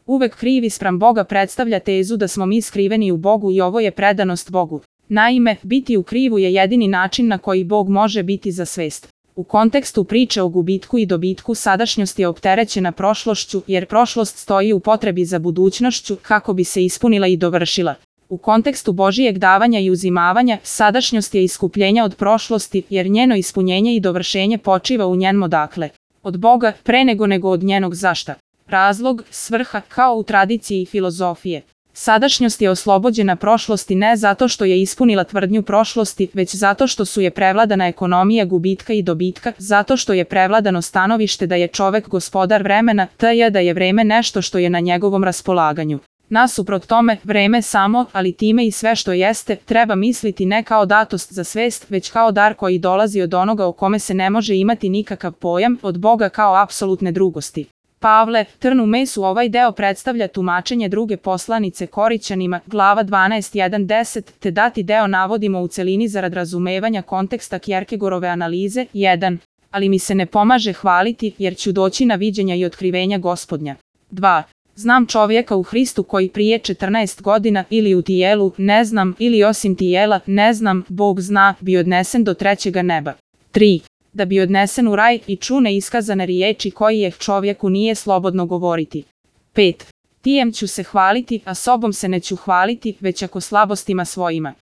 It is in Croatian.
Uvek krivi spram Boga predstavlja tezu da smo mi skriveni u Bogu i ovo je predanost Bogu. Naime, biti u krivu je jedini način na koji Bog može biti za svest. U kontekstu priče o gubitku i dobitku sadašnjost je opterećena prošlošću, jer prošlost stoji u potrebi za budućnošću kako bi se ispunila i dovršila. U kontekstu Božijeg davanja i uzimavanja, sadašnjost je iskupljenja od prošlosti, jer njeno ispunjenje i dovršenje počiva u njenom odakle. Od Boga, pre nego od njenog zašta. Razlog, svrha, kao u tradiciji filozofije. Sadašnjost je oslobođena prošlosti ne zato što je ispunila tvrdnju prošlosti, već zato što su je prevladana ekonomija gubitka i dobitka, zato što je prevladano stanovište da je čovek gospodar vremena, tj. da je vreme nešto što je na njegovom raspolaganju. Nasuprot tome, vreme samo, ali time i sve što jeste, treba misliti ne kao datost za svest, već kao dar koji dolazi od onoga o kome se ne može imati nikakav pojam, od Boga kao apsolutne drugosti. Pavle, trn u mesu. Ovaj deo predstavlja tumačenje druge poslanice Korićanima, glava 12:1-10, te dati deo navodimo u celini zarad razumevanja konteksta Kjerkegorove analize. 1. Ali mi se ne pomaže hvaliti, jer ću doći na viđenja i otkrivenja Gospodnja. 2. Znam čovjeka u Hristu koji prije 14 godina ili u tijelu, ne znam, ili osim tijela, ne znam, Bog zna, bi odnesen do trećega neba. 3. Da bi odnesen u raj i ču neiskazane riječi koji čovjeku nije slobodno govoriti. 5. Tijem ću se hvaliti, a sobom se neću hvaliti, već ako slabostima svojima.